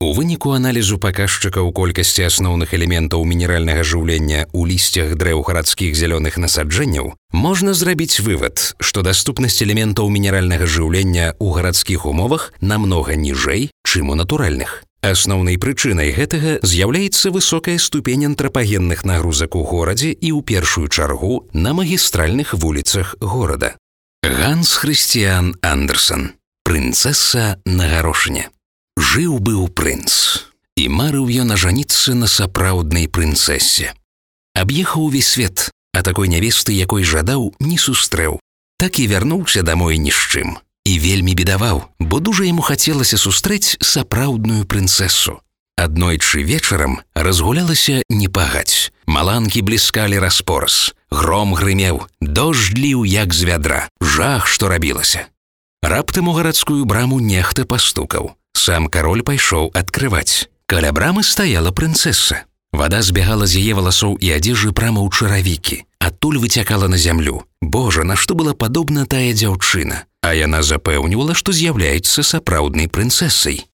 У выніку аналізу паказчыкаў колькасці асноўных элементаў мінеральнага жыўлення ў лісцях дрэў гарадскіх зялёных насаджэнняў можна зрабіць вывад, што даступнасць элементаў мінеральнага жыўлення ў гарадскіх умовах намнога ніжэй, чым у натуральных. Асноўнай прычынай гэтага з'яўляецца высокая ступень антрапагенных нагрузак у горадзе і ў першую чаргу на магістральных вуліцах горада. Ганс Хрысціян Андерсэн. Прынцэса на гарошыне. Жыў-быў прынц, і марыў ён ажаніцца на сапраўднай прынцэсе. Аб'ехаў увесь свет, а такой нявесты, якой жадаў, не сустрэў. Так і вярнуўся дамой ні з чым. І вельмі бедаваў, бо дужа яму хацелася сустрэць сапраўдную прынцэсу. Аднойчы вечарам разгулялася не пагаць. Маланкі бліскалі распораз, гром грымеў, дождж ліў як з вядра, жах, што рабілася. Раптам у гарадскую браму нехта пастукаў. Сам кароль пайшоў адкрываць. Каля брамы стаяла прынцэса. Вада збягала з яе валасоў і адзежы прама ў чаравікі. Адтуль выцякала на зямлю. Божа, на што была падобна тая дзяўчына. А яна запэўнівала, што з'яўляецца сапраўднай прынцэсай.